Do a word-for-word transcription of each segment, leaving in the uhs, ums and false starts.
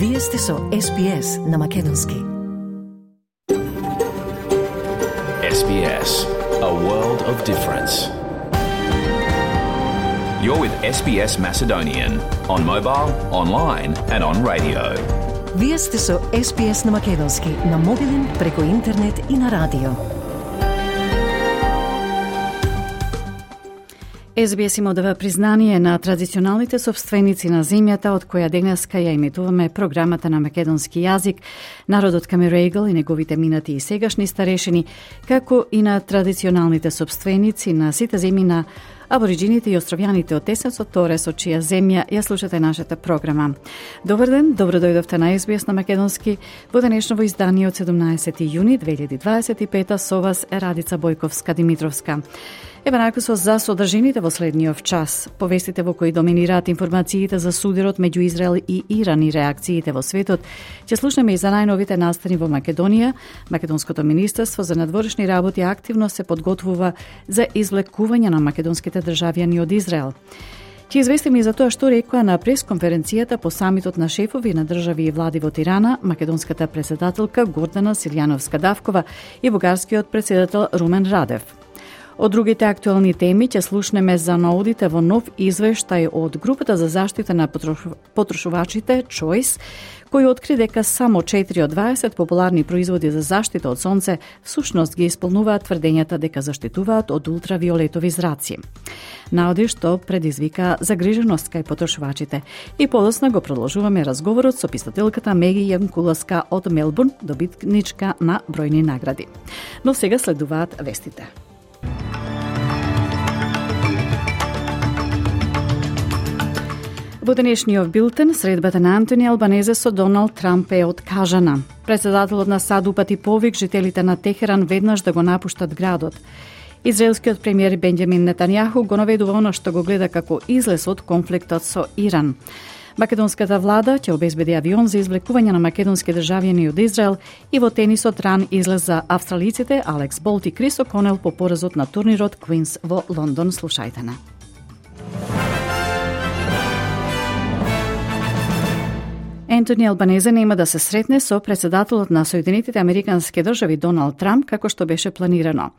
Вие сте со Ес Би Ес на Македонски. Ес Би Ес, a world of difference. You're with Ес Би Ес Macedonian on mobile, online and on radio. Вие сте со Ес Би Ес на Македонски, на мобилен, преку интернет и на радио. Ес Би Ес им одава признание на традиционалните собственици на земјата од која денеска ја имитуваме програмата на македонски јазик, народот Камерејгл и неговите минати и сегашни старешини, како и на традиционалните собственици на сите земји на абориджините и островјаните од Тесецот Торес, од чија земја ја слушате нашата програма. Добар ден, добро дојдовте на Ес Би Ес на Македонски во денешново издание од седумнаесети јуни две илјади дваесет и пета. Со вас е Радица Бојковска-Димитровска. Еве накусо за содржините во следниот час. Повестите во кои доминираат информациите за судирот меѓу Израел и Иран и реакциите во светот. Ќе слушнеме и за најновите настани во Македонија. Македонското министерство за надворешни работи активно се подготвува за извлекување на македонските државјани од Израел. Ќе известиме и за тоа што рекоа на пресконференцијата по самитот на шефови на држави и влади во Тирана македонската председателка Гордана Силјановска-Давкова и бугарскиот председател Румен Радев. Од другите актуелни теми ќе слушнеме за наодите во нов извештај од групата за заштита на потрошувачите Choice, кој откри дека само четири од дваесет популарни производи за заштита од сонце всушност ги исполнуваат тврдењата дека заштитуваат од ултравиолетови зраци. Наоди што предизвика загриженост кај потрошувачите. И подоцна го продолжуваме разговорот со писателката Меги Јанкуласка од Мелбурн, добитничка на бројни награди. Но сега следуваат вестите. Во денешниот билтен, средбата на Антони Албанезе со Доналд Трамп е откажана. Председателот на САД упати повик жителите на Техеран веднаш да го напуштат градот. Израелскиот премиер Бенџамин Нетањаху го наведува она што го гледа како излез од конфликтот со Иран. Македонската влада ќе обезбеди авион за извлекување на македонски државјани од Израел и во тенисот ран излез за австралиците Алекс Болт и Крис О'Конел по поразот на турнирот Квинс во Лондон. Слушајте на. Ентони Албанезе нема да се сретне со председателот на Соединетите Американски држави Доналд Трамп како што беше планирано.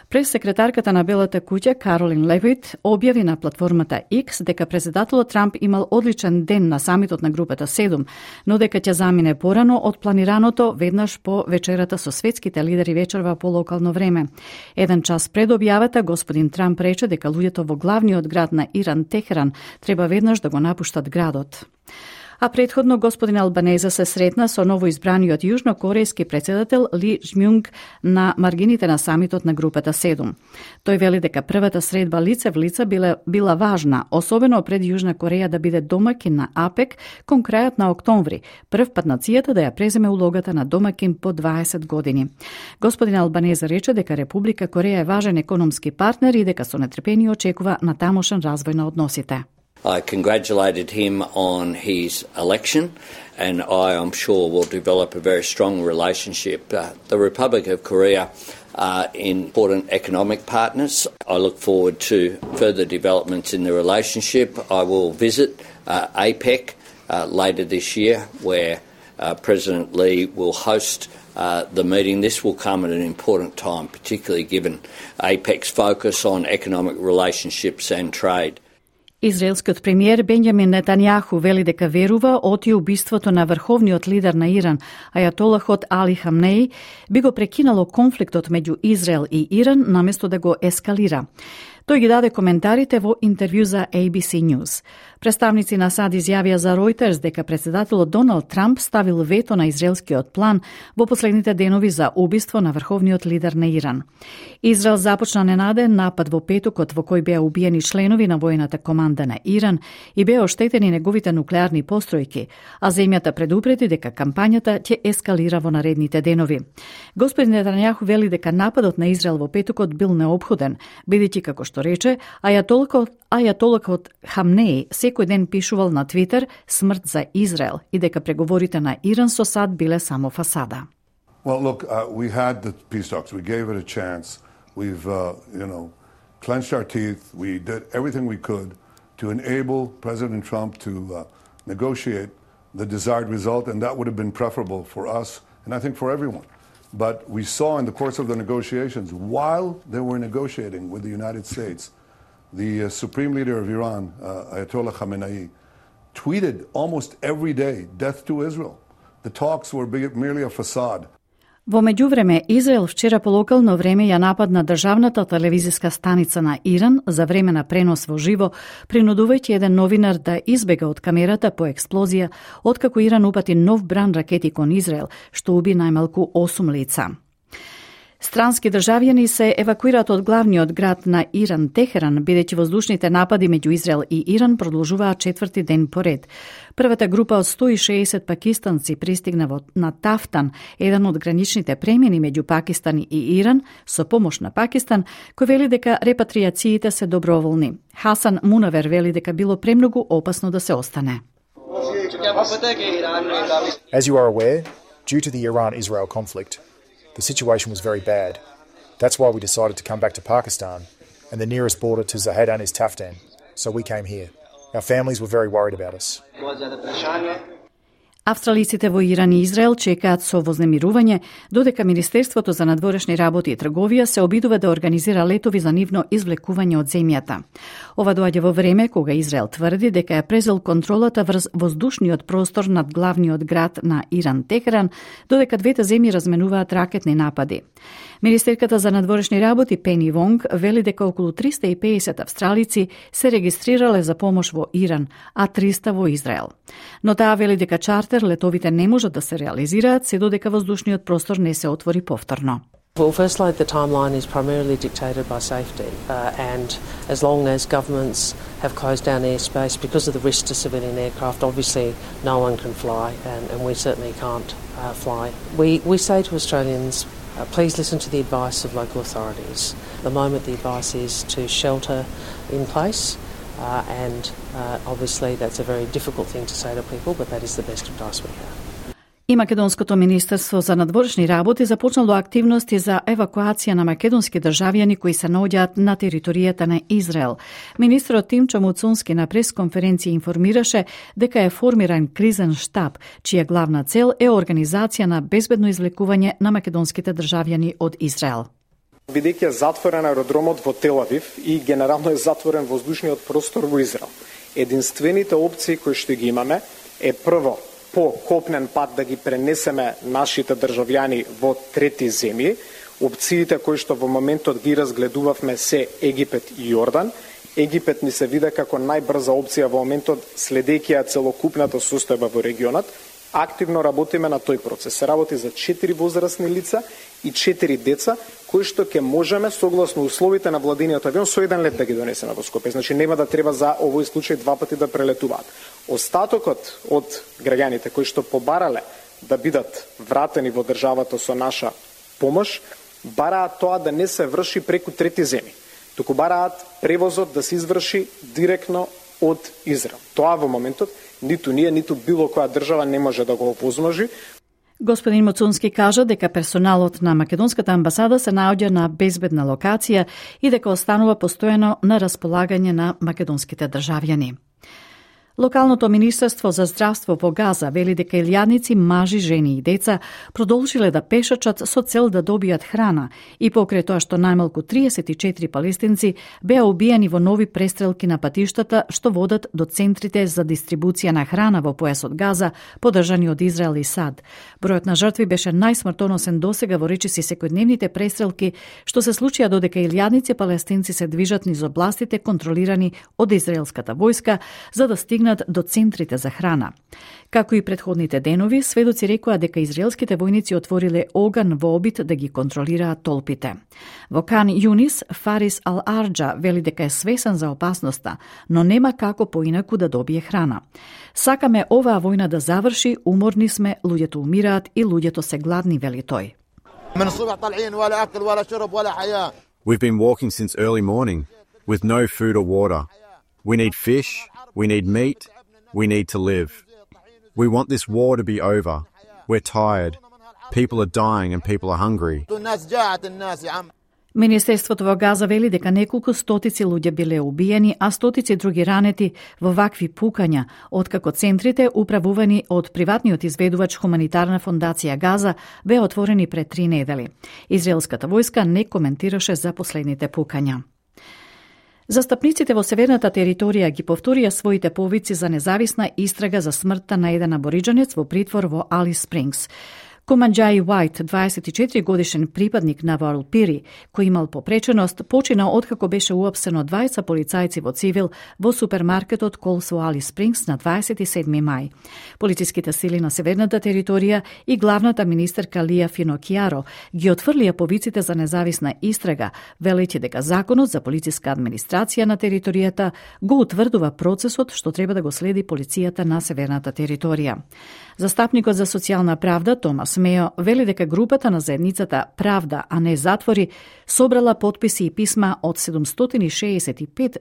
Прес-секретарката на Белата куќа Каролин Левит објави на платформата X дека председателот Трамп имал одличен ден на самитот на групата седум, но дека ќе замине порано од планираното веднаш по вечерата со светските лидери вечерва по локално време. Еден час пред објавата господин Трамп рече дека луѓето во главниот град на Иран, Техеран, треба веднаш да го напуштат градот. А предходно господин Албанезе се сретна со новоизбраниот јужнокорејски председател Ли Жмјунг на маргините на самитот на групата седум. Тој вели дека првата средба лице в лице била, била важна, особено пред Јужна Кореја да биде домакин на АПЕК кон крајот на октомври, прв пат нацијата да ја преземе улогата на домакин по дваесет години. Господин Албанезе рече дека Република Кореја е важен економски партнер и дека со нетрпение очекува на тамошен развој на односите. I congratulated him on his election, and I am sure will develop a very strong relationship. Uh, the Republic of Korea are important economic partners. I look forward to further developments in the relationship. I will visit uh, APEC uh, later this year, where uh, President Lee will host uh, the meeting. This will come at an important time, particularly given APEC's focus on economic relationships and trade. Израелскиот премиер Бенџамин Нетањаху вели дека верува оти убиството на врховниот лидер на Иран, ајатолахот Али Хамнеи, би го прекинало конфликтот меѓу Израел и Иран наместо да го ескалира. Тој ги даде коментарите во интервју за Ей Би Си News. Представници на САД изјавија за Reuters дека председателот Доналд Трамп ставил вето на израелскиот план во последните денови за убиство на врховниот лидер на Иран. Израел започна ненаден напад во петокот во кој беа убиени членови на војната команда на Иран и беа оштетени неговите нуклеарни постројки, а земјата предупреди дека кампањата ќе ескалира во наредните денови. Господин Нетањаху вели дека нападот на Израел во петокот бил неопходен, бидејќи како што рече, ајатолакот, ајатолакот Хамнеи секој ден пишувал на Твитер смрт за Израел и дека преговорите на Иран со САД биле само фасада. Well, look, uh, we had the peace talks. We gave it a chance. We've, uh, you know, clenched our teeth. We did everything we could to enable President Trump to uh, negotiate the desired result, and that would have been preferable for us and I think for everyone. But we saw in the course of the negotiations, while they were negotiating with the United States, the uh, supreme leader of Iran, uh, Ayatollah Khamenei, tweeted almost every day, death to Israel. The talks were merely a facade. Во меѓувреме, Израел вчера по локално време ја нападна државната телевизиска станица на Иран за време на пренос во живо, принудувајќи еден новинар да избега од камерата по експлозија, откако Иран упати нов бран ракети кон Израел, што уби најмалку осум лица. Странски државјани се евакуираат од главниот град на Иран, Техеран, бидејќи воздушните напади меѓу Израел и Иран продолжуваат четврти ден поред. Првата група од сто и шеесет пакистанци пристигна на Тафтан, еден од граничните премини меѓу Пакистан и Иран, со помош на Пакистан, кој вели дека репатриациите се доброволни. Хасан Мунавер вели дека било премногу опасно да се остане. As you are aware, due to the Iran-Israel conflict, the situation was very bad. That's why we decided to come back to Pakistan, and the nearest border to Zahedan is Taftan, so we came here. Our families were very worried about us. Австралиците во Иран и Израел чекаат со вознемирување, додека Министерството за надворешни работи и трговија се обидува да организира летови за нивно извлекување од земјата. Ова доаѓа во време кога Израел тврди дека е презел контролата врз воздушниот простор над главниот град на Иран, Техеран, додека двете земји разменуваат ракетни напади. Министерката за надворешни работи Пени Вонг вели дека околу триста и педесет австралици се регистрирале за помош во Иран, а триста во Израел. Но таа вели дека чартер летовите не можат да се реализираат се додека воздушниот простор не се отвори повторно. Well, firstly, the timeline is primarily dictated by safety, uh, and as long as governments have closed down airspace because of the risk to civilian aircraft, obviously no one can fly, and, and we certainly can't uh, fly. We, we say to Australians, uh, please listen to the advice of local authorities. At the moment, the advice is to shelter in place, uh, and uh, obviously that's a very difficult thing to say to people, but that is the best advice we have. И Македонското министерство за надворешни работи започнало активности за евакуација на македонски државјани кои се наоѓаат на територијата на Израел. Министерот Тимчо Муцунски на пресконференција информираше дека е формиран кризен штаб, чија главна цел е организација на безбедно извлекување на македонските државјани од Израел. Бидејќи е затворен аеродромот во Тел Авив и генерално е затворен воздушниот простор во Израел, единствените опции кои што ги имаме е прво по копнен пат да ги пренесеме нашите државјани во трети земји. Опциите кои што во моментот ги разгледувавме се Египет и Јордан. Египет ни се виде како најбрза опција во моментот, следејќи ја целокупната состојба во регионот. Активно работиме на тој процес. Се работи за четири возрастни лица и четири деца, кои што ќе можеме согласно условите на владиниот авион со еден лет да ги донесеме во Скопје. Значи нема да треба за овој случај два пати да прелетуваат. Остатокот од граѓаните кои што побарале да бидат вратени во државата со наша помош, бараат тоа да не се врши преку трети земји, туку бараат превозот да се изврши директно од Израел. Тоа во моментот ниту ние, ниту било која држава не може да го возможи. Господин Моцунски кажа дека персоналот на македонската амбасада се наоѓа на безбедна локација и дека останува постојано на располагање на македонските државјани. Локалното Министерство за здравство во Газа вели дека илјадници мажи, жени и деца продолжиле да пешачат со цел да добијат храна и покрај тоа што најмалку триесет и четири палестинци беа убиени во нови престрелки на патиштата што водат до центрите за дистрибуција на храна во појасот Газа, поддржани од Израел и САД. Бројот на жртви беше најсмртоносен досега во речиси секојдневните престрелки што се случија додека илјадници палестинци се движат низ областите контролирани од израелската војска за да стигнат до центрите за храна. Како и предходните денови, сведоци рекоа дека израелските војници отвориле оган во обид да ги контролираат толпите. Во Кан Юнис, Фарис Ал-Арджа вели дека е свесен за опасноста, но нема како поинаку да добие храна. Сакаме оваа војна да заврши, уморни сме, луѓето умираат и луѓето се гладни, вели тој. We've been walking since early morning with no food or water. We need fish, we need meat, we need to live. We want this war to be over. We're tired. People are dying and people are hungry. Министерството во Газа вели дека неколку стотици луѓе биле убиени, а стотици други ранети во вакви пукања, откако центрите управувани од приватниот изведувач Хуманитарна фондација Газа беа отворени пред три недели. Израелската војска не коментираше за последните пукања. Застапниците во северната територија ги повторија своите повици за независна истрага за смртта на еден абориџанец во притвор во Алис Спрингс. Куманџаи Уајт, дваесет и четири годишен припадник на Варолпири, кој имал попреченост, почина откако беше уапсен од двајца полицајци во цивил во супермаркетот Колс во Алис Спрингс на дваесет и седми мај. Полициските сили на северната територија и главната министерка Лија Финокјаро ги отфрлија повиците за независна истрага, велејќи дека законот за полициска администрација на територијата го утврдува процесот што треба да го следи полицијата на северната територија. Застапникот за социјална правда Томас Мео вели дека групата на заедницата Правда, а не затвори, собрала потписи и писма од седумстотини и шеесет и пет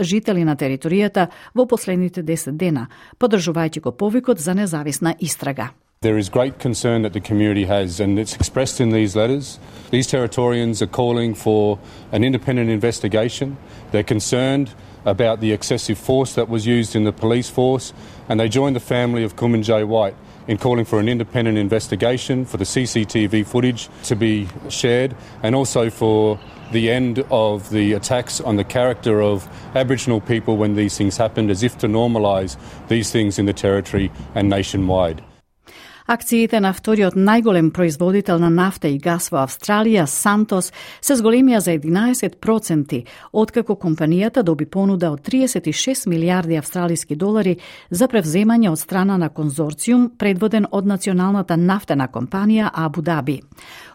жители на територијата во последните десет дена, поддржувајќи го повикот за независна истрага. There is great concern that the community has, and it's expressed in these letters. These Territorians are calling for an independent investigation. They're concerned about the excessive force that was used in the police force, and they join the family of Kumanjayi White in calling for an independent investigation, for the C C T V footage to be shared, and also for the end of the attacks on the character of Aboriginal people when these things happened, as if to normalise these things in the territory and nationwide. Акциите на вториот најголем производител на нафта и газ во Австралија, Сантос, се зголемија за единаесет проценти, откако компанијата доби понуда од триесет и шест милијарди австралиски долари за превземање од страна на конзорциум предводен од националната нафтена компанија Абу Даби.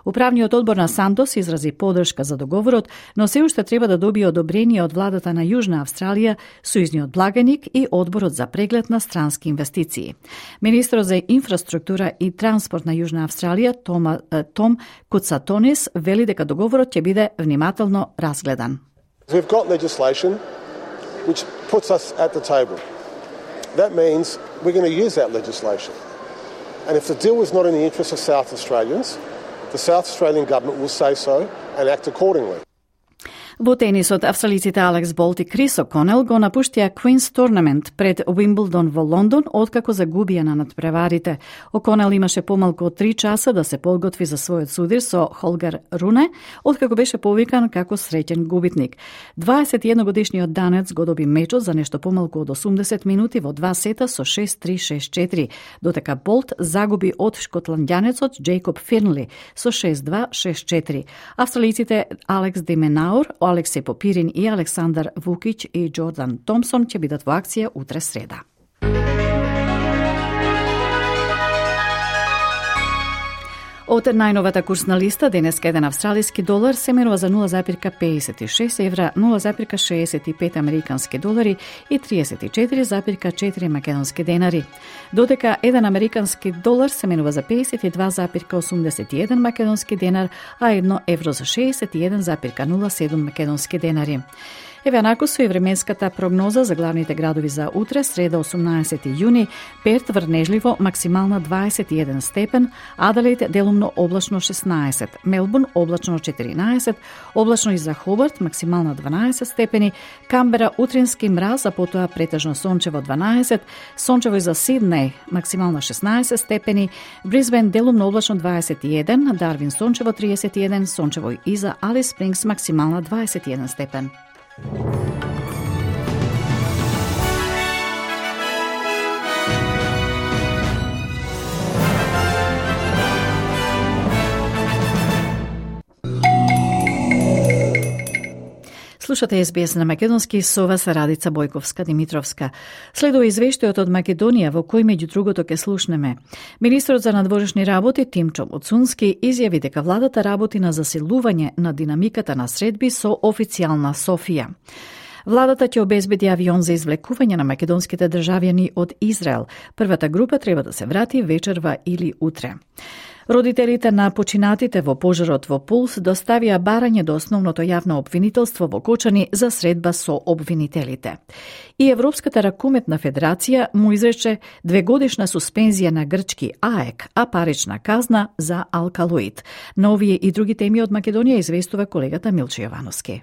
Управниот одбор на Сантос изрази поддршка за договорот, но се уште треба да добие одобрение од владата на Јужна Австралија, сојузниот благаник и одборот за преглед на странски инвестиции. Министерот за инфраструктура и транспорт на Јужна Австралија, Тома, Том Куцатонис, вели дека договорот ќе биде внимателно разгледан. We've got legislation which puts us at the table. That means we're going to use that legislation. And if the deal is not in the interest of South Australians, the South Australian government will say so and act accordingly. Во тенисот, австралиците Алекс Болт и Крис О'Конел го напуштија Квинс Турнамент пред Уимблдон во Лондон, откако загубија на надпреварите. О'Конел имаше помалку од три часа да се подготви за својот судир со Холгар Руне, откако беше повикан како среќен губитник. дваесет и едногодишниот данец го доби мечот за нешто помалку од осумдесет минути во два сета со шест три шест четири, додека Болт загуби од шотландјанецот Джейкоб Фирнли со шест два шест четири. Австралиците Алекс Деменаур, Алексеј Попирин и Александар Вукиќ и Џордан Томсон ќе бидат во акција утре среда. Од најновата курсна листа, денеска еден австралиски долар се менува за нула запирка педесет и шест евра, нула запирка шеесет и пет американски долари и триесет и четири запирка четири македонски денари. Додека еден американски долар се менува за педесет и два запирка осумдесет и еден македонски денар, а едно евро за шеесет и еден запирка нула седум македонски денари. Еве анако со и временската прогноза за главните градови за утре, среда осумнаесети јуни, Перт врнежливо максимална дваесет и еден степен, Аделаид делумно облачно шеснаесет, Мелбурн облачно четиринаесет, облачно и за Хобарт максимална дванаесет степени, Камбера утрински мраз, а потоа претежно сончево дванаесет, сончево и за Сиднеј максимална шеснаесет степени, Брисбен делумно облачно дваесет и еден, Дарвин сончево триесет и еден, сончево и за Алис Спрингс максимална дваесет и еден степен. Слушате Ес Би Ес на македонски, со вас Радица Бојковска-Димитровска. Следува извештајот од Македонија, во кој меѓу другото ке слушнеме. Министрот за надворешни работи Тимчо Моцунски изјави дека владата работи на засилување на динамиката на средби со официјална Софија. Владата ќе обезбеди авион за извлекување на македонските државјани од Израел. Првата група треба да се врати вечерва или утре. Родителите на починатите во пожарот во Пулс доставија барање до основното јавно обвинителство во Кочани за средба со обвинителите. И Европската ракуметна федерација му изрече двегодишна суспензија на грчки АЕК, а парична казна за алкалоид. На овие и други теми од Македонија известува колегата Милче Јовановски.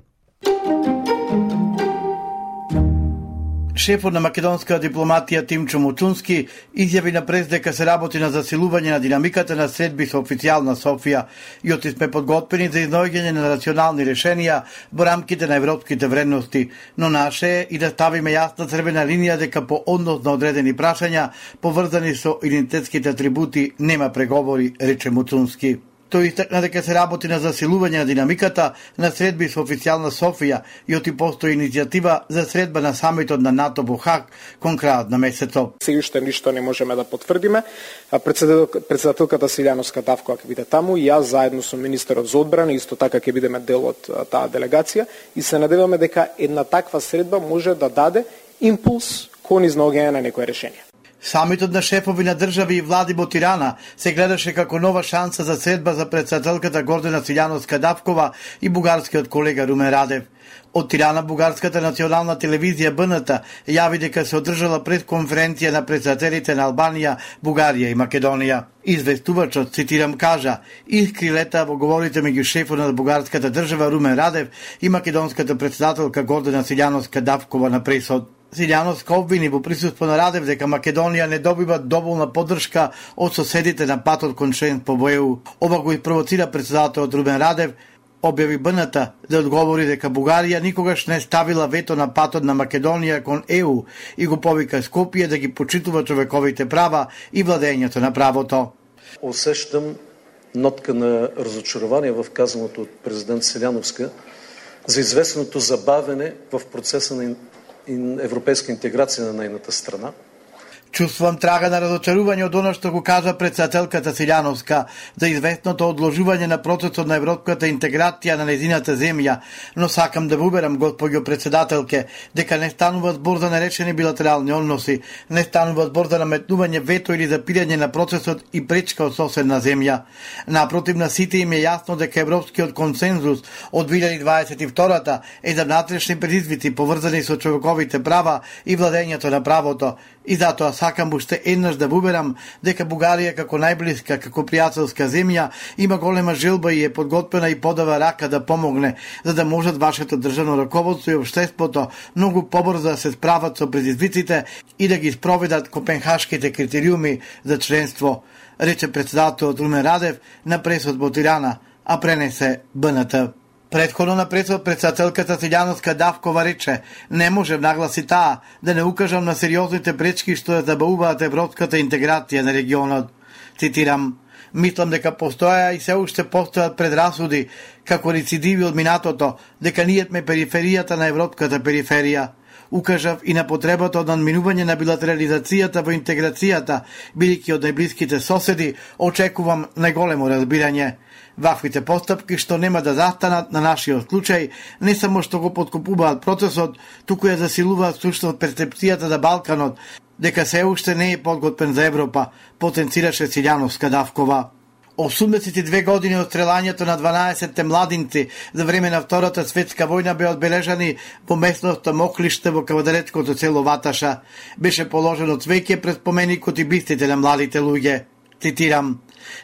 Шефот на македонска дипломатија Тимчо Муцунски изјави на прес дека се работи на засилување на динамиката на средби со официјална Софија и оти сме подготвени за изнаоѓање на рационални решенија во рамките на европските вредности, но наше е и да ставиме јасна црвена линија дека по однос на одредени прашања поврзани со идентитетските атрибути нема преговори, рече Муцунски. Тој истакна дека се работи на засилување на динамиката на средби со официјална Софија и оти постои иницијатива за средба на самитот на НАТО во Хаг кон крајот на месецот. Сега уште ништо не можеме да потврдиме. Председателката Силјановска Давкова ќе биде таму и јас заедно со министерот за одбрана исто така ќе бидеме дел од таа делегација и се надеваме дека една таква средба може да даде импулс кон изнаоѓање на некое решение. Самитот на шефови на држави и влади во Тирана се гледаше како нова шанса за средба за председателката Гордана Силјановска Давкова и бугарскиот колега Румен Радев. Од Тирана бугарската национална телевизија Б Н Т јави дека се одржала пресконференција на председателите на Албанија, Бугарија и Македонија. Известувачот, цитирам, кажа: "Искри лета во говорите меѓу шефот на бугарската држава Румен Радев и македонската председателка Гордана Силјановска Давкова на пресод." Силјановска обвини во присуство на Радев дека Македонија не добива доволна поддршка од соседите на патот кон членство во Е У. Ова го испровоцира председателот Румен Радев, објави Б Н Т да одговори дека Бугарија никогаш не ставила вето на патот на Македонија кон Е У и го повика Скопје да ги почитува човековите права и владењето на правото. Усещам нотка на разочарование в казаното од президент Силјановска за известното забавене в процеса на европейска интеграција на најната страна. Чувствувам трага на разочарување од оно што го кажа председателката Силјановска за известното одложување на процесот на европската интеграција на нејзината земја, но сакам да ве уверам, госпоѓо председателке, дека не станува збор за нерешени билатерални односи, не станува збор за наметнување вето или запирање на процесот и пречка од соседна земја. Напротив, на сите им е јасно дека европскиот консензус од две илјади дваесет и втора е за внатрешни предизвици поврзани со човековите права и владењето на правото, и затоа сакам уште еднаш да уверам дека Бугарија како најблиска, како пријателска земја има голема желба и е подготвена и подава рака да помогне, за да можат вашето државно раководство и општеството многу побрзо да се справат со предизвиците и да ги спроведат копенхашките критериуми за членство, рече председателот Румен Радев на пресот во Тирана, а пренесе Б Н Т. Предходно на пресот председателката Силјановска Давкова рече: "Не можем, нагласи таа, да не укажам на сериозните пречки што ја забавуваат европската интеграција на регионот." Цитирам: "Мислам дека постоја и се уште постојат предрасуди како рецидиви од минатото, дека ние сме периферијата на европската периферија. Укажав и на потребата од надминување на билатерализацијата во интеграцијата, бидејќи од најблиските соседи очекувам најголемо разбирање. Ваквите постапки што нема да застанат на нашиот случај, не само што го подкопуваат процесот, туку ја засилуваат сушност перцепцијата за Балканот, дека се уште не е подготвен за Европа", потенцираше Силјановска Давкова. осумдесет и две години од стрелањето на дванаесетте младинци за време на Втората светска војна беа одбележани во местноста Моклиште во кавадарецкото село Ваташа. Беше положено цвеќе пред споменикот и бистите на младите луѓе. Цитирам: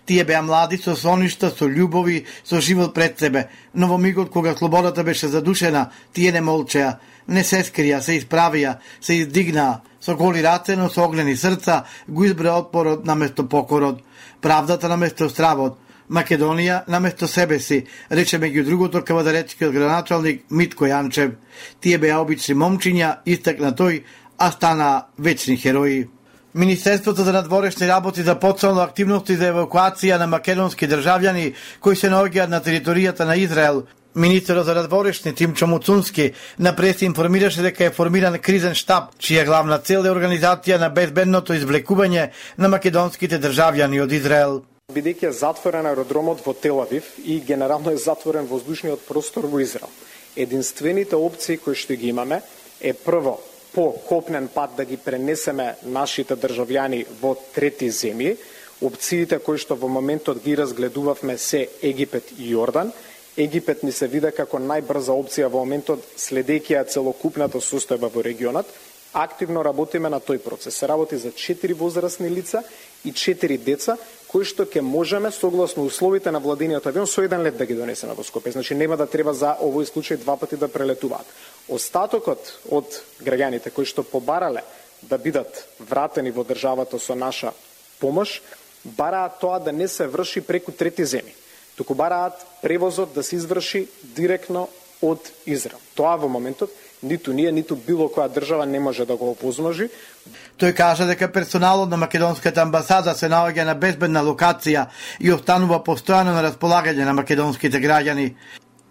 "Тие беа млади со соништа, со љубови, со живот пред себе, но во мигот кога слободата беше задушена, тие не молчеа, не се скрија, се исправија, се издигнаа, со голи раце, но со огнени срца, го избра отпорот наместо покорот, правдата наместо стравот, Македонија наместо себе си", рече меѓу другото кавадарецкиот граначалник Митко Јанчев. "Тие беа обични момчиња", истакна тој, "а стана вечни херои." Министерството за надворешни работи започнало активности за евакуација на македонски државјани кои се наоѓаат на територијата на Израел. Министерот за надворешни Тимчо Муцунски на прес информираше дека е формиран кризен штаб, чија главна цел е организација на безбедното извлекување на македонските државјани од Израел. Бидејќи е затворен аеродромот во Тел Авив и генерално е затворен воздушниот простор во Израел, единствените опции кои што ги имаме е прво по копнен пат да ги пренесеме нашите државјани во трети земји, Опциите кои што во моментот ги разгледувавме се Египет и Јордан. Египет ни се вида како најбрза опција во моментот, следејќи ја целокупната состојба во регионот. Активно работиме на тој процес. Се работи за четири возрастни лица и четири деца, кои што ќе можеме, согласно условите на владиниот авион, со еден лет да ги донесеме во Скопје. Значи нема да треба за овој случај два пати да прелетуваат. Остатокот од граѓаните кои што побарале да бидат вратени во државата со наша помош, бараат тоа да не се врши преку трети земји, туку бараат превозот да се изврши директно од Израел. Тоа во моментот ниту ние, ниту било која држава не може да го опозможи. Тој кажа дека персоналот на македонската амбасада се наоѓа на безбедна локација и останува постојано на располагање на македонските граѓани.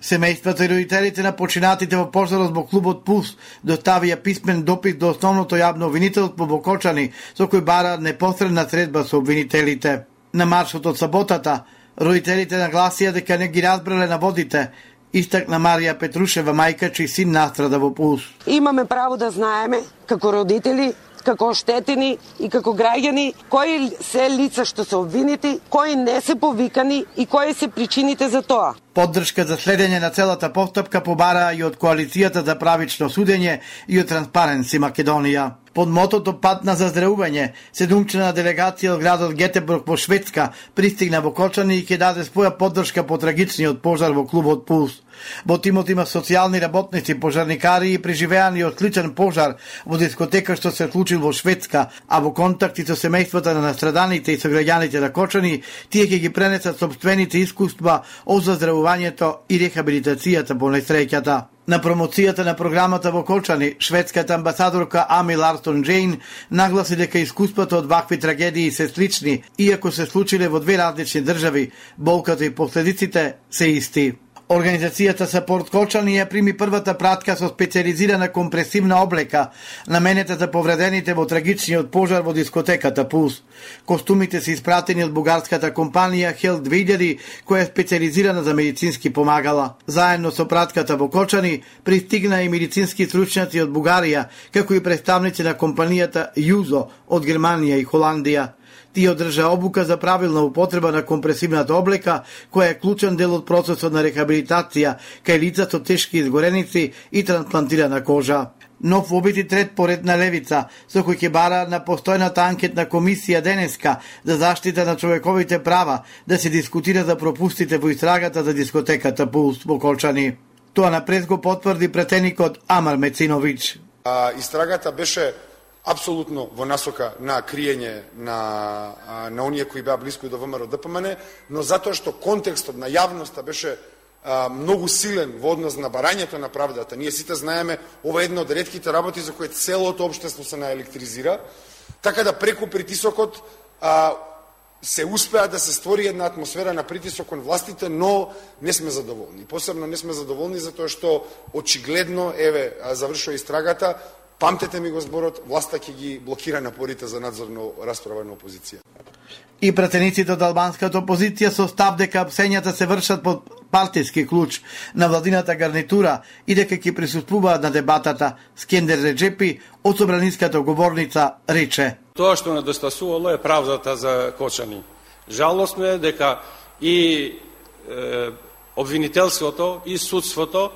Семејствата и родителите на починатите во пожарот во клубот Пулс доставија писмен допис до основното јавно обвинителство во Кочани, со кој бара непосредна средба со обвинителите. На маршот од саботата, родителите нагласија дека не ги разбрале наводите, истакна Марија Петрушева, мајка чиј син настрада во Пулс. Имаме право да знаеме, како родители, како оштетени и како граѓани, кои се лица што се обвинети, кои не се повикани и кои се причините за тоа. Поддршка за следење на целата постапка побара и од Коалицијата за правично судење и од Транспаренси Македонија. Под мотото Пат на заздравување, седумчлена делегација од градот Гетеборг во Шведска пристигна во Кочани и ќе даде своја поддршка по трагичниот пожар во клубот Пулс. Во тимот има социјални работници, пожарникари и преживеани од сличен пожар во дискотека што се случил во Шведска, а во контакти со семејствата на настраданите и со граѓаните на Кочани, тие ќе ги пренесат собствените искуства од заздравувањето и рехабилитацијата по несреќата. На промоцијата на програмата во Кочани, шведската амбасадорка Ами Ларсон Джейн нагласи дека искуствата од вакви трагедии се слични, иако се случиле во две различни држави, болката и последиците се исти. Организацијата Сапорт Кочани ја прими првата пратка со специализирана компресивна облека, наменета за повредените во трагичниот пожар во дискотеката Пулс. Костумите се испратени од бугарската компанија Health две илјади, која е специализирана за медицински помагала. Заедно со пратката во Кочани пристигна и медицински стручњаци од Бугарија, како и представници на компанијата Јузо од Германија и Холандија. Тие одржа обука за правилна употреба на компресивната облека, која е клучен дел од процесот на рехабилитација кај лица со тешки изгореници и трансплантирана кожа. Нов обити трет поред на левица, со кој ќе бара на постојната анкетна комисија денеска за заштита на човековите права да се дискутира за пропустите во истрагата за дискотеката Пулс во Кочани. Тоа напред го потврди претеникот Амар Мециновиќ. А, истрагата беше апсолутно во насока на криење на, на оние кои беа блиску до ВМРО Д П М Н, но затоа што контекстот на јавноста беше а, многу силен во однос на барањето на правдата. Ние сите знаеме, ова е една од ретките работи за кои целото општество се наелектризира, така да преку притисокот а, се успеа да се створи една атмосфера на притисок кон властите, но не сме задоволни. Посебно не сме задоволни затоа што очигледно, еве, завршува истрагата, памтете ми го зборот, власта ќе ги блокира напорите за надзорно расправа на опозиција. И пратениците од албанската опозиција со став дека апсењата се вршат под партиски клуч на владината гарнитура и дека ќе присуствуваат на дебатата. Скендер Реджепи од собраниската говорница рече: Тоа што недостасувало е правдата за Кочани. Жалосно е дека и е, обвинителството и судството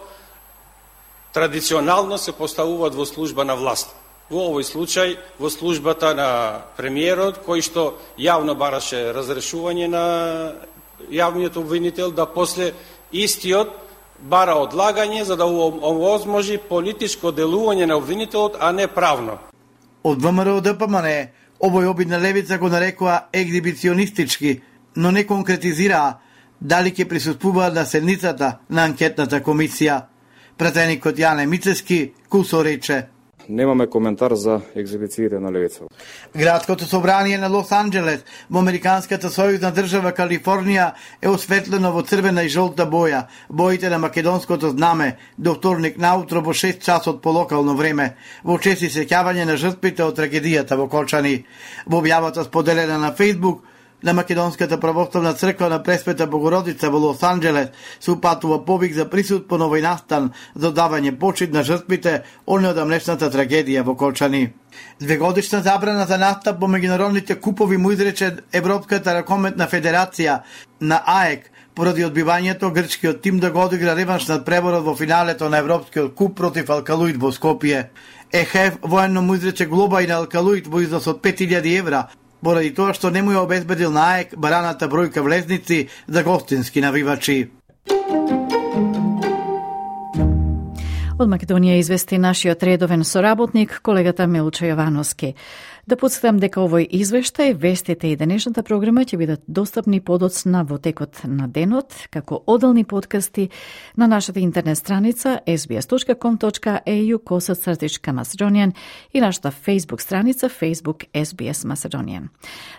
традиционално се поставуваат во служба на власт. Во овој случај, во службата на премиерот, кој што јавно бараше разрешување на јавниот обвинител, да после истиот бара одлагање за да овозможи политичко делување на обвинителот, а не правно. Од ВМРО Д П М Н овој обид на левица го нарекува егзибиционистички, но не конкретизираа дали ќе присуствуваат на седницата на анкетната комисија. Пратеникот Јане Мицески кусо рече: Немаме коментар за екзибициите на левица. Градското собрание на Лос Анџелес во американската сојузна држава Калифорнија е осветлено во црвена и жолта боја, боите на македонското знаме, до вторник наутро во шест часот по локално време, во чест и сеќавање на жртвите од трагедијата во Кочани. Во објавата споделена на Фејсбук, На Македонската православна црква на Пресвета Богородица во Лос Анџелес се упатува повик за присуд по новој настан за давање почит на жртвите од амнешната трагедија во Колчани. Двегодишна забрана за настап по меѓународните купови му изрече Европската ракометна федерација на АЕК поради одбивањето грчкиот тим да го одигра реванш над преборот во финалето на Европскиот куп против Алкалуид во Скопје. ЕХФ военно му изрече глоба и на Алкалуид во износ од пет илјади евра, поради тоа што не му ја обезбедил на АЕК бараната бројка влезници за гостински навивачи. Од Македонија извести нашиот редовен соработник, колегата Милчо Јовановски. Да подсетам дека овој извештај, вестите и денешната програма ќе бидат достапни подоцна во текот на денот, како одделни подкасти на нашата интернет страница ес би ес точка ком точка ей ю косацртичка Macedonian и нашата Facebook страница Facebook ес би ес Macedonian.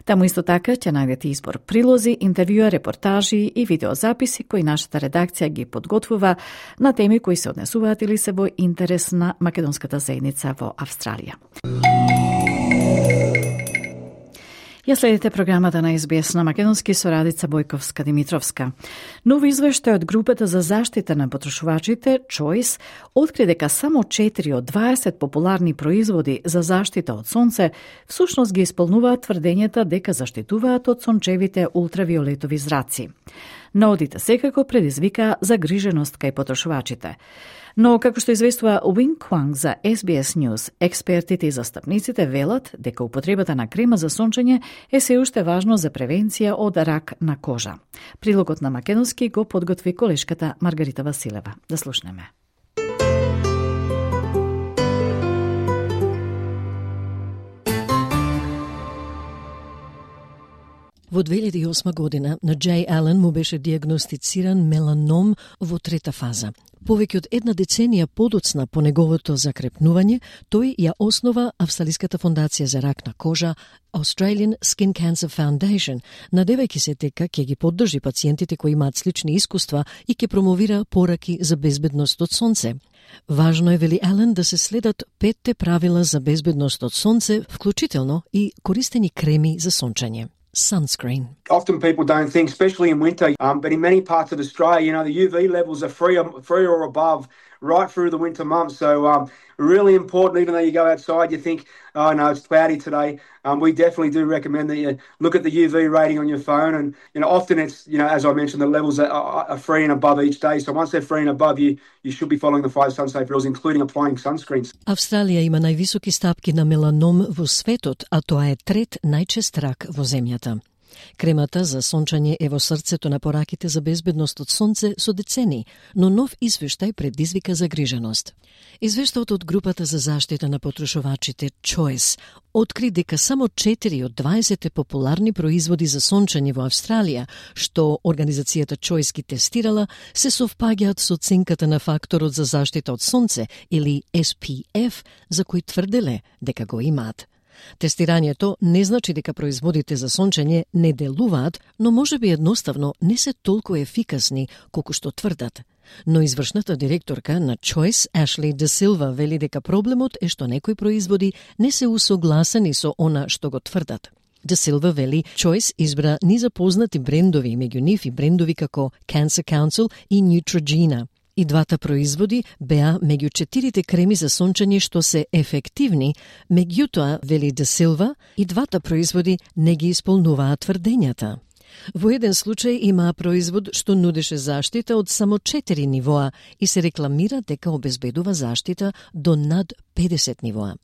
Таму исто така ќе најдете избор прилози, интервјуа, репортажи и видеозаписи кои нашата редакција ги подготвува на теми кои се однесуваат или се во интерес на македонската заедница во Австралија. Ја следите програмата на ес би ес на македонски со Радица Бојковска-Димитровска. Нов извештај од групата за заштита на потрошувачите Choice откри дека само четири од дваесет популарни производи за заштита од сонце всушност ги исполнуваат тврдењата дека заштитуваат од сончевите ултравиолетови зраци. Наодите секако предизвика загриженост кај потрошувачите. Но, како што известува Wing Kwang за ес би ес News, експертите и застапниците велат дека употребата на крема за сончење е се уште важно за превенција од рак на кожа. Прилогот на македонски го подготви колешката Маргарита Василева. Да слушнеме. Во две илјади и осма година на Джей Ален му беше диагностициран меланом во трета фаза. Повеќе од една деценија подоцна по неговото закрепнување, тој ја основа Австралиската фондација за рак на кожа Australian Skin Cancer Foundation, надевајќи се дека ќе ги поддржи пациентите кои имаат слични искуства и ќе промовира пораки за безбедност од сонце. Важно е, вели Ален, да се следат петте правила за безбедност од сонце, вклучително и користени креми за сончење. Sunscreen. Often people don't think, especially in winter, um, but in many parts of Australia, you know, the U V levels are free, free or above right through the winter months. So um, really important, even though you go outside, you think, oh no, it's cloudy today. Um, we definitely do recommend that you look at the U V rating on your phone. And, you know, often it's, you know, as I mentioned, the levels are, are free and above each day. So once they're free and above, you, you should be following the five sun-safe rules, including applying sunscreens. Австралија има највисоки стапки на меланом во светот, а тоа е трет најчест рак во земјата. Кремата за сончање е во срцето на пораките за безбедност од сонце со децени, но нов извештај предизвика загриженост. Извештајот од групата за заштита на потрошувачите Choice откри дека само четири од дваесет популарни производи за сончање во Австралија, што организацијата Choice ги тестирала, се совпаѓаат со оценката на факторот за заштита од сонце или ес пи еф, за кој тврделе дека го имаат. Тестирањето не значи дека производите за сончење не делуваат, но можеби едноставно не се толку ефикасни колку што тврдат. Но извршната директорка на Choice, Ashleigh De Silva, вели дека проблемот е што некои производи не се усогласени со она што го тврдат. De Silva вели Choice избра низапознати брендови, меѓу нив и брендови како Cancer Council и Neutrogena. И двата производи беа меѓу четирите креми за сончење што се ефективни, меѓутоа, вели Де Силва, и двата производи не ги исполнуваат тврдењата. Во еден случај имаа производ што нудеше заштита од само четири нивоа и се рекламира дека обезбедува заштита до над педесет нивоа.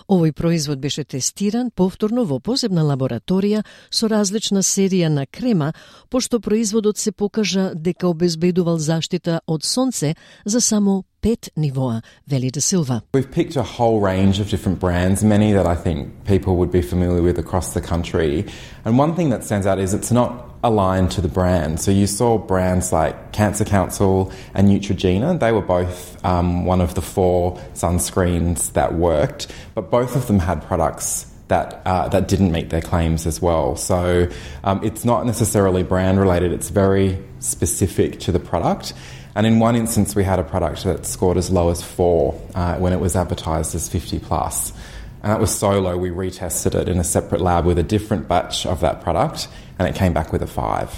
Овој производ беше тестиран повторно во посебна лабораторија со различна серија на крема, пошто производот се покажа дека обезбедувал заштита од сонце за само пет нивоа, вели Де Силва. We've picked a whole range of different brands, many that I think people would be familiar with across the country. And one thing that stands out is it's not aligned to the brand. So you saw brands like Cancer Council and Neutrogena. They were both um, one of the four sunscreens that worked, but both of them had products that uh, that didn't meet their claims as well. So um, it's not necessarily brand related. It's very specific to the product. And in one instance, we had a product that scored as low as four uh, when it was advertised as fifty plus. And that was so low, we retested it in a separate lab with a different batch of that product, and it came back with a five.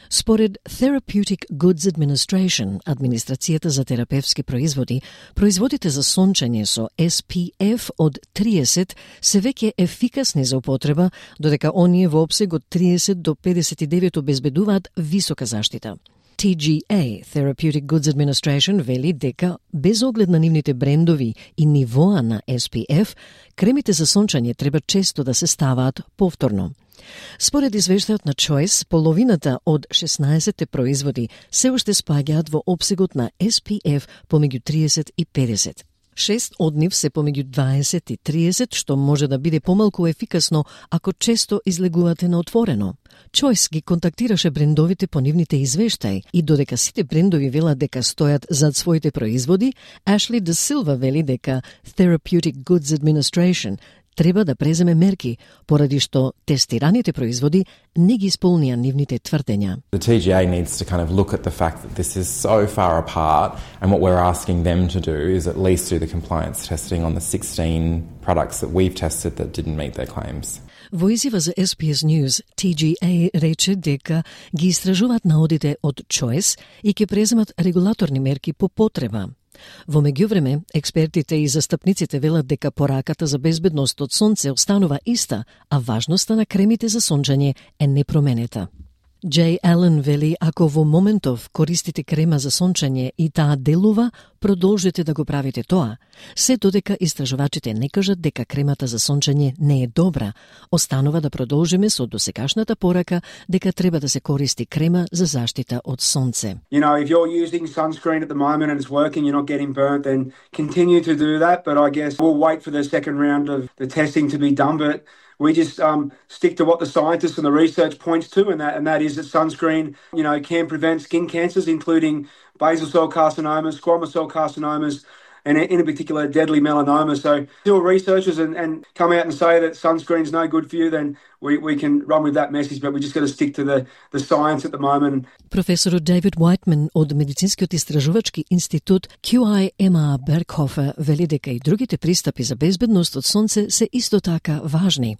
Според Therapeutic Goods Administration, администрацијата за терапевски производи, производите за сончење со Ес Пи Еф од триесет се веќе ефикасни за употреба, додека оние во опсег од триесет до педесет и девет обезбедуваат висока заштита. Ти Джи Ей, Therapeutic Goods Administration, вели дека, без оглед на нивните брендови и нивоа на Ес Пи Еф, кремите за сончање треба често да се ставаат повторно. Според извештајот на Choice, половината од шеснаесетте производи се уште спаѓаат во опсегот на Ес Пи Еф помеѓу триесет и педесет. Шест од нив се помеѓу дваесет и триесет, што може да биде помалку ефикасно ако често излегувате на отворено. Choice ги контактираше брендовите по нивните извештаи и додека сите брендови велат дека стојат зад своите производи, Ашли Де Силва вели дека Therapeutic Goods Administration треба да преземе мерки, поради што тестираните производи не ги исполнија нивните тврдења. The Ти Джи Ей needs to kind of look at the fact that this is so far apart, and what we're asking them to do is at least do the compliance testing on the sixteen products that we've tested that didn't meet their claims. Во изјава за Ес Би Ес News, Ти Джи Ей рече дека ги истражуваат наодите од Choice и ќе преземат регулаторни мерки по потреба. Во меѓувреме, експертите и застапниците велат дека пораката за безбедност од сонце останува иста, а важноста на кремите за сончање е непроменета. Джей Ален вели, ако во моментов користите крема за сончање и таа делува, продолжете да го правите тоа. Се додека истражувачите не кажат дека кремата за сончање не е добра, останува да продолжиме со досегашната порака дека треба да се користи крема за заштита од сонце. You know, if you're using sunscreen at the moment and it's working, you're not getting burnt, then continue to do that. But I guess we'll wait for the second round of the testing to be done. But we just um, stick to what the scientists and the research points to, and that and that is that sunscreen, you know, can prevent skin cancers, including basal cell carcinomas, squamous cell carcinomas, and in particular deadly melanoma. So, still researchers and, and come out and say that sunscreen's no good for you, then we, we can run with that message, but we just got to stick to the, the science at the moment. Професорот Дейвид Уайтман од Медицинскиот истражувачки институт Кју Ај Ем А Беркхофер вели дека и другите пристапи за безбедност од сонце се исто така важни.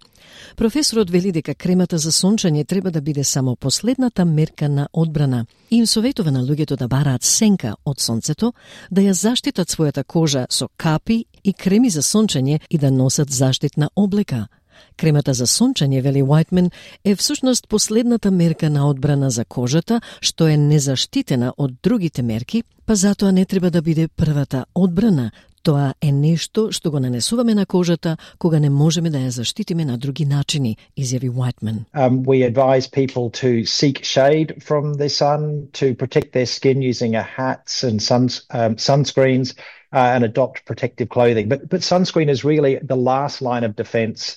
Професорот вели дека кремата за сончање треба да биде само последната мерка на одбрана и им советува на луѓето да бараат сенка од сонцето, да ја заштитат својата кожа со капи и креми за сончање и да носат заштитна облека. Кремата за сончање, вели Уайтман, е всушност последната мерка на одбрана за кожата, што е незаштитена од другите мерки, па затоа не треба да биде првата одбрана. Тоа е нешто што го нанесуваме на кожата кога не можеме да ја заштитиме на други начини, изјави Уайтман. Um, we advise people to seek shade from the sun, to protect their skin using a hats and suns, um, sunscreens uh, and adopt protective clothing. But, but sunscreen is really the last line of defense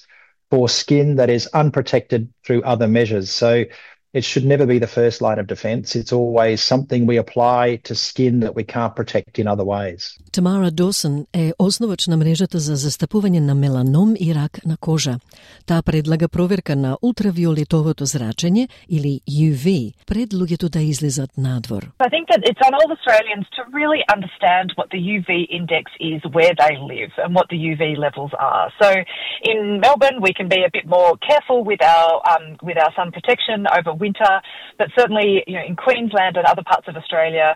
for skin that is unprotected through other measures. So it should never be the first line of defense. It's always something we apply to skin that we can't protect in other ways. Тамара Досон е основач на мрежата за застапување на меланом и рак на кожа. Таа предлага проверка на ултравиолетовото зрачење или Ю Ви пред луѓето да излезат надвор. I think that it's on all Australians to really understand what the U V index is where they live and what the U V levels are. So in Melbourne we can be a bit more careful with our um, with our sun protection over winter, but certainly, you know, in Queensland and other parts of Australia,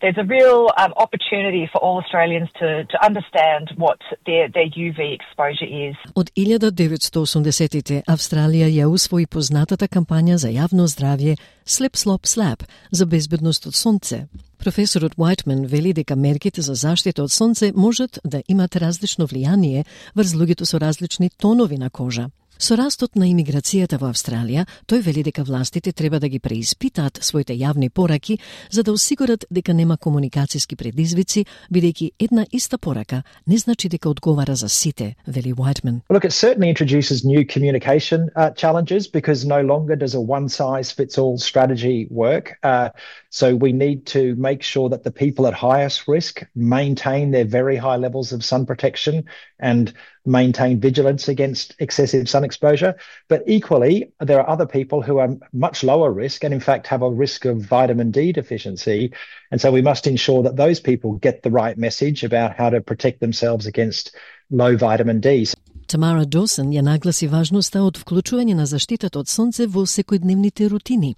there's a real um, opportunity for all Australians to to understand what their their U V exposure is. Од илјада деветстотини и осумдесеттите Австралија ја усвои познатата кампања за јавно здравје Slip Slop Slap за безбедност од сонце. Професорот Уайтман вели дека мерките за заштита од сонце можат да имат различно влијание врз луѓето со различни тонови на кожа. Со растот на имиграцијата во Австралија, тој вели дека властите треба да ги преиспитаат своите јавни пораки за да осигурат дека нема комуникацијски предизвици, бидејќи една иста порака не значи дека одговара за сите, вели Уайтман. Look, it certainly introduces new communication uh, challenges because no longer does a one-size-fits-all strategy work. Uh, so we need to make sure that the people at highest risk maintain their very high levels of sun protection and maintain vigilance against excessive sun exposure. But equally, there are other people who are much lower risk and in fact have a risk of vitamin D deficiency. And so we must ensure that those people get the right message about how to protect themselves against low vitamin D. Tamara Dawson ја нагласи важноста од вклучување на заштитата од сонце во секојдневните рутини.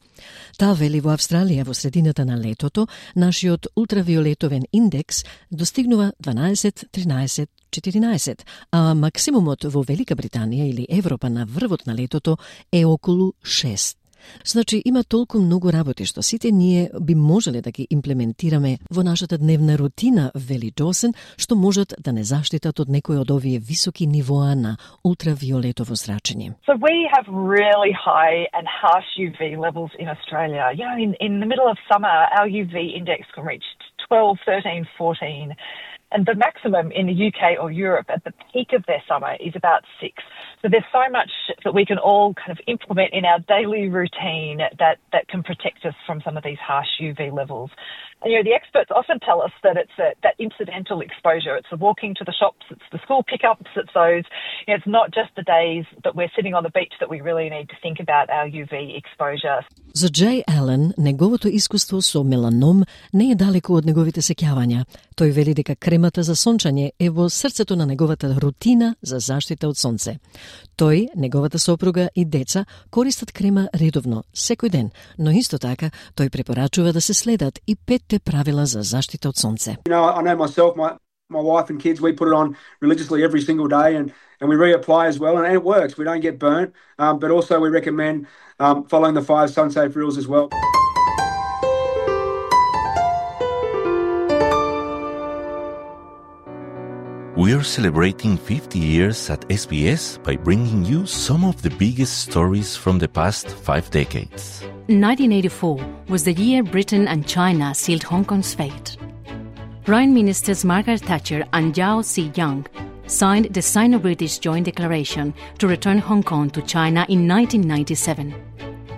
Таа вели во Австралија во средината на летото, нашиот ултравиолетовен индекс достигнува дванаесет, тринаесет, четиринаесет, а максимумот во Велика Британија или Европа на врвот на летото е околу шест. Значи, има толку многу работи што сите ние би можеле да ги имплементираме во нашата дневна рутина, вели Досен, што можат да не заштитат од некои од овие високи нивоа на ултравиолетово зрачење. So we have really high and harsh U V levels in Australia. You know, in, in the middle of summer, our U V index can reach twelve, thirteen, fourteen. And the maximum in the U K or Europe at the peak of their summer is about six. So there's so much that we can all kind of implement in our daily routine that, that can protect us from some of these harsh U V levels. And, you know, the experts often tell us that it's a, that incidental exposure. It's the walking to the shops, it's the school pickups, it's those, you know, it's not just the days that we're sitting on the beach that we really need to think about our U V exposure. За Джей Ален, неговото искуство со меланом не е далеко од неговите сеќавања. Тој вели дека кремата за сончање е во срцето на неговата рутина за заштита од сонце. Тој, неговата сопруга и деца користат крема редовно, секој ден, но исто така тој препорачува да се следат и петте правила за заштита од сонце. You know, I know myself, my my wife and kids, we put it on religiously every single day, and and we reapply as well, and it works. We don't get burnt, um, but also we recommend um, following the five sun-safe rules as well. We're celebrating fifty years at S B S by bringing you some of the biggest stories from the past five decades. nineteen eighty-four was the year Britain and China sealed Hong Kong's fate. Prime Ministers Margaret Thatcher and Yao Zedong signed the Sino-British Joint Declaration to return Hong Kong to China in nineteen ninety-seven.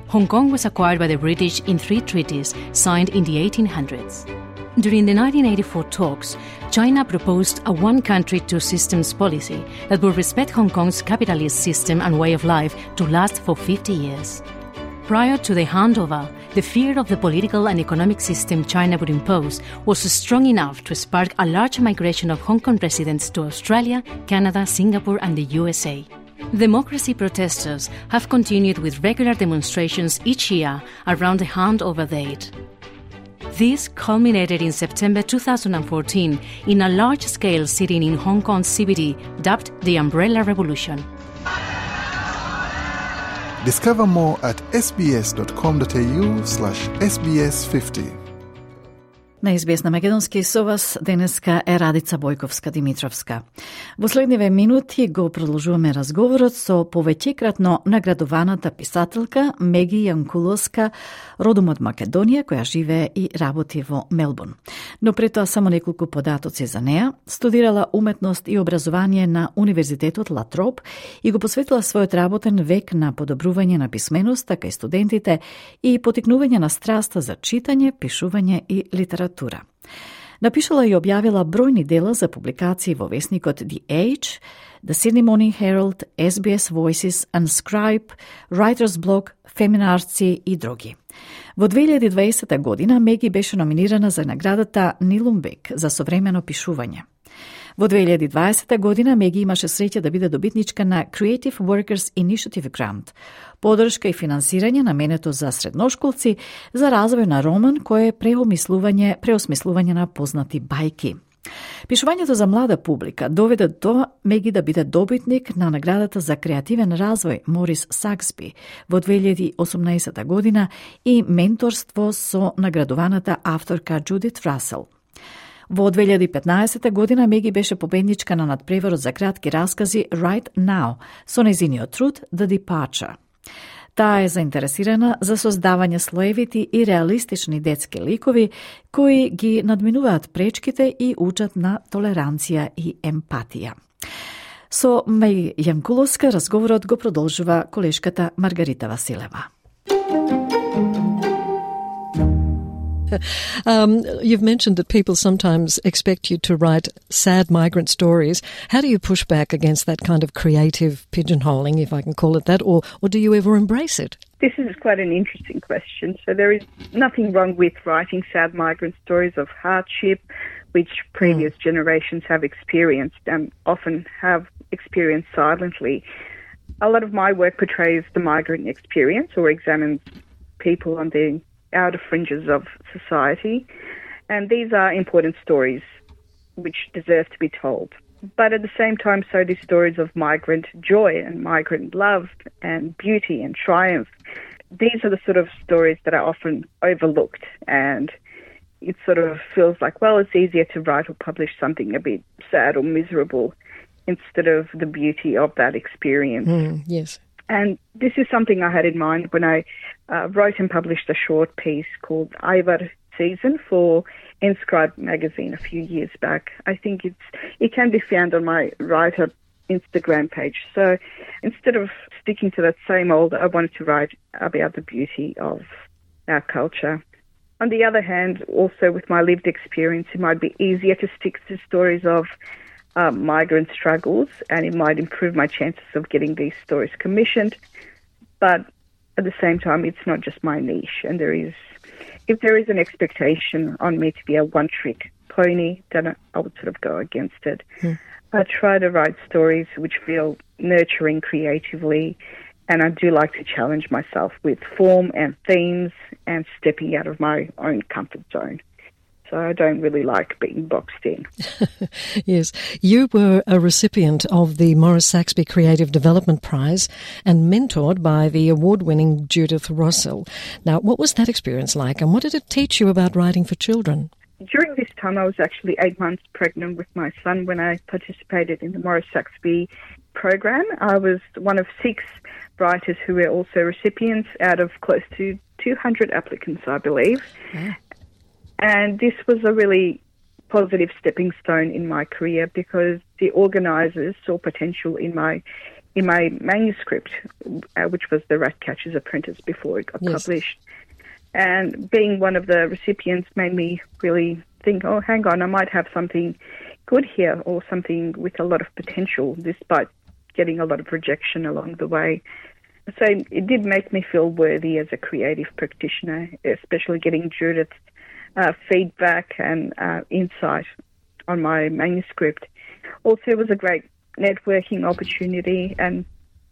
Hong Kong was acquired by the British in three treaties signed in the eighteen hundreds. During the nineteen eighty-four talks, China proposed a one-country, two-systems policy that would respect Hong Kong's capitalist system and way of life to last for fifty years. Prior to the handover, the fear of the political and economic system China would impose was strong enough to spark a large migration of Hong Kong residents to Australia, Canada, Singapore and the U S A. Democracy protesters have continued with regular demonstrations each year around the handover date. This culminated in September two thousand fourteen in a large-scale sit-in in Hong Kong's C B D dubbed the Umbrella Revolution. Discover more at sbs.com.au slash sbs50. На Ес Би Ес на Македонски со вас денеска е Радица Бојковска-Димитровска. Во следниве минути го продолжуваме разговорот со повеќекратно наградуваната писателка Меги Јанкуловска, родом од Македонија, која живее и работи во Мелбурн. Но пред тоа само неколку податоци за неа. Студирала уметност и образование на Универзитетот Латроп и го посветила својот работен век на подобрување на писменоста кај студентите и потикнување на страста за читање, пишување и литература. Напишала и објавила бројни дела за публикации во весникот The Age, The Sydney Morning Herald, Ес Би Ес Voices, Unscribe, Writer's Block, Feminarci и други. Во две илјади и дваесета година Меги беше номинирана за наградата Нилумбек за современо пишување. Во две илјади и дваесета година Меги имаше среќа да биде добитничка на Creative Workers Initiative Grant, подршка и финансирање наменето за средношколци за развој на роман кој е преосмислување, преосмислување на познати бајки. Пишувањето за млада публика доведе до Меги да биде добитник на наградата за креативен развој Морис Саксби во две илјади и осумнаесета година и менторство со наградуваната авторка Джудит Расел. Во две илјади и петнаесета година Меги беше победничка на надпреворот за кратки раскази Right Now со нејзиниот труд The Departure. Таа е заинтересирана за создавање слоевити и реалистични детски ликови кои ги надминуваат пречките и учат на толеранција и емпатија. Со Меги Јанкуловска разговорот го продолжува колешката Маргарита Василева. Um, you've mentioned that people sometimes expect you to write sad migrant stories. How do you push back against that kind of creative pigeonholing, if I can call it that, or, or do you ever embrace it? This is quite an interesting question. So there is nothing wrong with writing sad migrant stories of hardship, which previous mm. generations have experienced and often have experience silently. A lot of my work portrays the migrant experience or examines people on the outer fringes of society. And these are important stories which deserve to be told. But at the same time, so do stories of migrant joy and migrant love and beauty and triumph. These are the sort of stories that are often overlooked, and it sort of feels like, well, it's easier to write or publish something a bit sad or miserable instead of the beauty of that experience. Mm, yes. And this is something I had in mind when I uh, wrote and published a short piece called Ivar Season for Inscribed magazine a few years back. I think it's it can be found on my writer Instagram page. So instead of sticking to that same old, I wanted to write about the beauty of our culture. On the other hand, also with my lived experience, it might be easier to stick to stories of uh, migrant struggles, and it might improve my chances of getting these stories commissioned. But at the same time, it's not just my niche, and there is if there is an expectation on me to be a one-trick pony, then I would sort of go against it. Hmm. I try to write stories which feel nurturing creatively, and I do like to challenge myself with form and themes and stepping out of my own comfort zone. So I don't really like being boxed in. Yes. You were a recipient of the Maurice Saxby Creative Development Prize and mentored by the award-winning Judith Rossell. Now, what was that experience like, and what did it teach you about writing for children? During this time, I was actually eight months pregnant with my son when I participated in the Maurice Saxby program. I was one of six writers who were also recipients out of close to two hundred applicants, I believe. Yeah. And this was a really positive stepping stone in my career because the organisers saw potential in my in my manuscript, uh, which was The Ratcatcher's Apprentice before it got yes. published. And being one of the recipients made me really think, oh, hang on, I might have something good here or something with a lot of potential, despite getting a lot of rejection along the way. So it did make me feel worthy as a creative practitioner, especially getting Judith's Uh, feedback and uh, insight on my manuscript. Also, it was a great networking opportunity and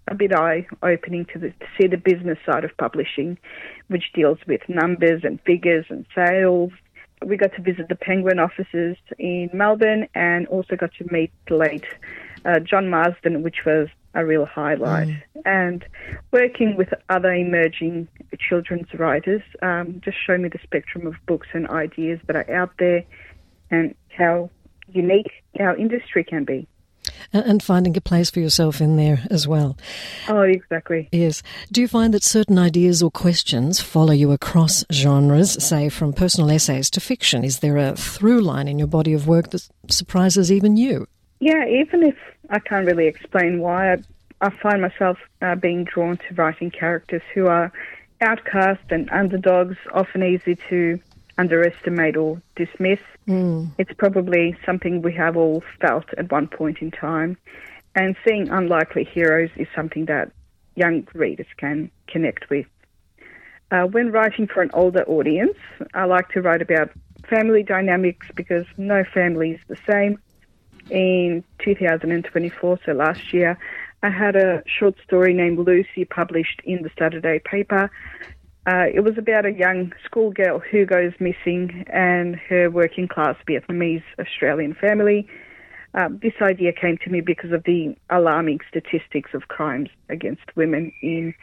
a bit eye-opening to, the, to see the business side of publishing, which deals with numbers and figures and sales. We got to visit the Penguin offices in Melbourne and also got to meet the late uh, John Marsden, which was a real highlight. Mm. And working with other emerging children's writers um, just showed me the spectrum of books and ideas that are out there and how unique our industry can be. And finding a place for yourself in there as well. Oh, exactly. Yes. Do you find that certain ideas or questions follow you across genres, say from personal essays to fiction? Is there a through line in your body of work that surprises even you? Yeah, even if I can't really explain why, I, I find myself uh, being drawn to writing characters who are outcast and underdogs, often easy to underestimate or dismiss. Mm. It's probably something we have all felt at one point in time. And seeing unlikely heroes is something that young readers can connect with. Uh, when writing for an older audience, I like to write about family dynamics because no family is the same. In two thousand twenty-four, so last year, I had a short story named Lucy published in the Saturday paper. Uh, it was about a young schoolgirl who goes missing and her working-class Vietnamese Australian family. Uh, this idea came to me because of the alarming statistics of crimes against women in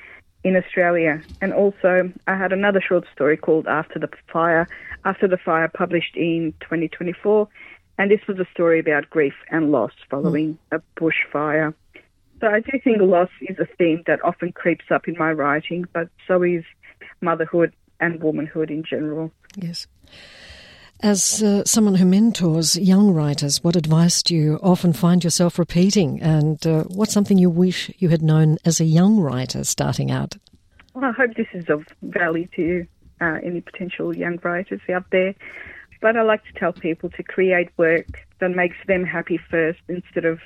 in Australia. And also, I had another short story called After the Fire, After the Fire, published in twenty twenty-four. And this was a story about grief and loss following mm. a bushfire. So I do think loss is a theme that often creeps up in my writing, but so is motherhood and womanhood in general. Yes. As uh, someone who mentors young writers, what advice do you often find yourself repeating? And uh, what's something you wish you had known as a young writer starting out? Well, I hope this is of value to uh, any potential young writers out there. But I like to tell people to create work that makes them happy first instead of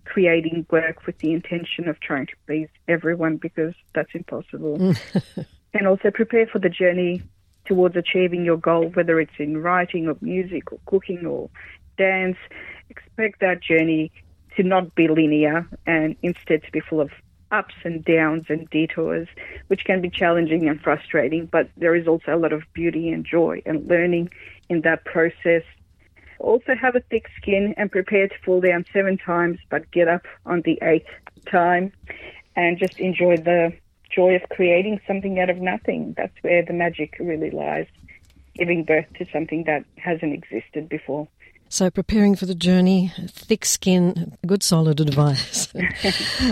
creating work with the intention of trying to please everyone, because that's impossible. And also prepare for the journey towards achieving your goal, whether it's in writing or music or cooking or dance. Expect that journey to not be linear and instead to be full of ups and downs and detours, which can be challenging and frustrating, but there is also a lot of beauty and joy and learning in that process. Also have a thick skin and prepare to fall down seven times, but get up on the eighth time and just enjoy the joy of creating something out of nothing. That's where the magic really lies, giving birth to something that hasn't existed before. So preparing for the journey, thick skin, good solid advice.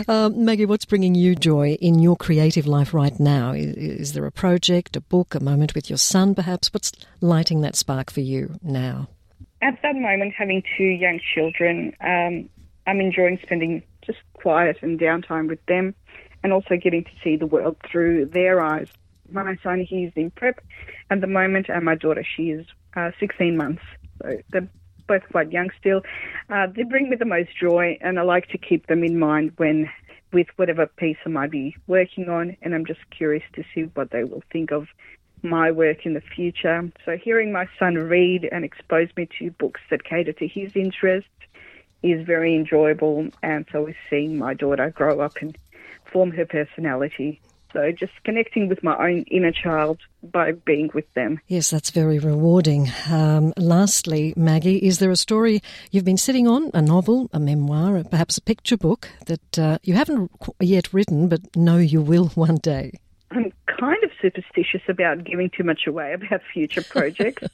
um, Maggie, what's bringing you joy in your creative life right now? Is, is there a project, a book, a moment with your son perhaps? What's lighting that spark for you now? At that moment, having two young children, um, I'm enjoying spending just quiet and downtime with them and also getting to see the world through their eyes. My son, he's in prep at the moment, and my daughter, she is uh, sixteen months. So they're both quite young still. Uh, they bring me the most joy, and I like to keep them in mind when, with whatever piece I might be working on, and I'm just curious to see what they will think of my work in the future. So hearing my son read and expose me to books that cater to his interests is very enjoyable, and so is seeing my daughter grow up and form her personality. So just connecting with my own inner child by being with them. Yes, that's very rewarding. Um, lastly, Maggie, is there a story you've been sitting on, a novel, a memoir, perhaps a picture book that uh, you haven't yet written but know you will one day? I'm kind of superstitious about giving too much away about future projects.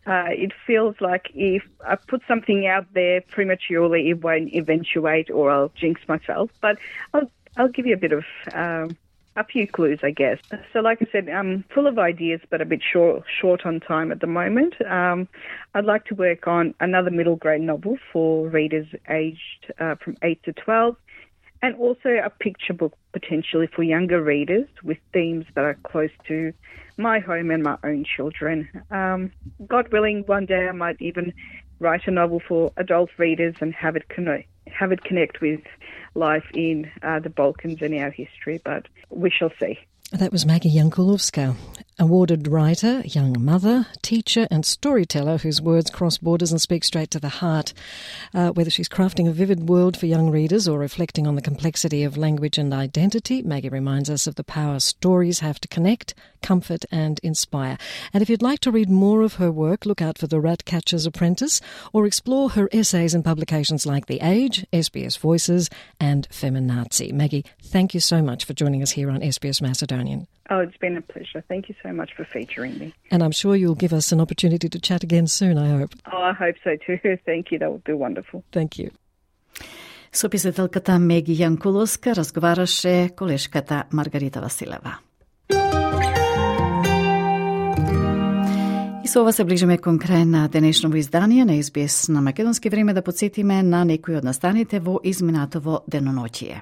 uh, it feels like if I put something out there prematurely, it won't eventuate or I'll jinx myself. But I'll, I'll give you a bit of... Um, A few clues, I guess. So like I said, I'm full of ideas, but a bit short, short on time at the moment. Um, I'd like to work on another middle grade novel for readers aged uh, from eight to twelve, and also a picture book potentially for younger readers with themes that are close to my home and my own children. Um, God willing, one day I might even write a novel for adult readers and have it connect, have it connect with life in uh, the Balkans and our history, but we shall see. That was Maggie Jankulovska, awarded writer, young mother, teacher and storyteller whose words cross borders and speak straight to the heart. Uh, whether she's crafting a vivid world for young readers or reflecting on the complexity of language and identity, Maggie reminds us of the power stories have to connect, comfort and inspire. And if you'd like to read more of her work, look out for The Ratcatcher's Apprentice or explore her essays in publications like The Age, S B S Voices and Feminazi. Maggie, thank you so much for joining us here on S B S Macedonian. Oh, it's been a pleasure. Thank you so much for featuring me. And I'm sure you'll give us an opportunity to chat again soon, I hope. Oh, I hope so too. Thank you. That would be wonderful. Thank you. Со писателката Меги Јанкуловска разговараше колешката Маргарита Василева. И со ова се ближиме кон крај на денешното издание на Ес Би Ес на македонски. Време да подсетиме на некои од настаните во изминатово деноноќие.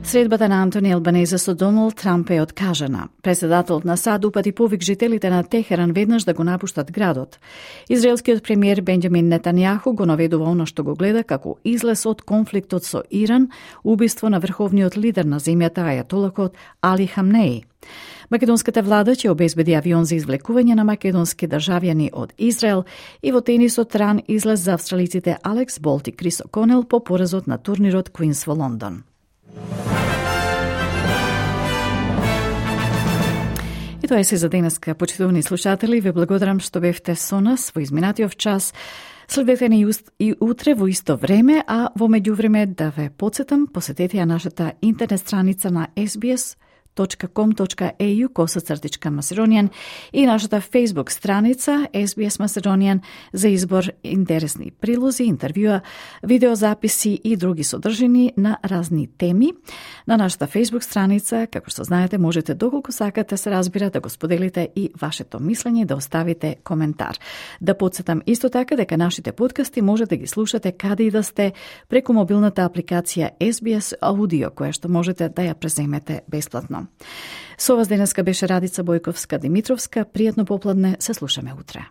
Средбата на Антони Албанезе со Доналд Трамп е откажана. Председателот на САД упати повик жителите на Техеран веднаш да го напуштат градот. Израелскиот премиер Бенџамин Нетањаху го наведува оно што го гледа како излез од конфликтот со Иран, убиство на врховниот лидер на земјата ајатолакот Али Хамнеи. Македонската влада ќе обезбеди авион за извлекување на македонски државјани од Израел и во тенисот ран излез за австралиците Алекс Болт и Крис О'Конел по поразот на турнирот Квинс во Лондон. И тоа е се за денеска, почитувани слушатели. Ве благодарам што бевте со нас во изминатиот час. Следете ни и утре во исто време, а во меѓувреме да ве потсетам, посетете ја нашата интернет страница на ес би ес точка ком точка ей ю косацртичка Macedonian и нашата Facebook страница Ес Би Ес Macedonian за избор интересни прилози, интервјуа, видеозаписи и други содржини на разни теми. На нашата Facebook страница, како што знаете, можете доколку сакате се разбира да го споделите и вашето мислење и да оставите коментар. Да подсетам исто така дека нашите подкасти може да ги слушате каде и да сте преку мобилната апликација Ес Би Ес Audio, која што можете да ја преземете бесплатно. Со вас денеска беше Радица Бојковска-Димитровска. Пријатно попладне, се слушаме утре.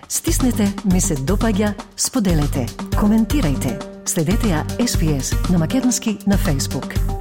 Стиснете, ми се допаѓа, споделете, коментирајте. Следете ја Ес Би Ес на македонски на Facebook.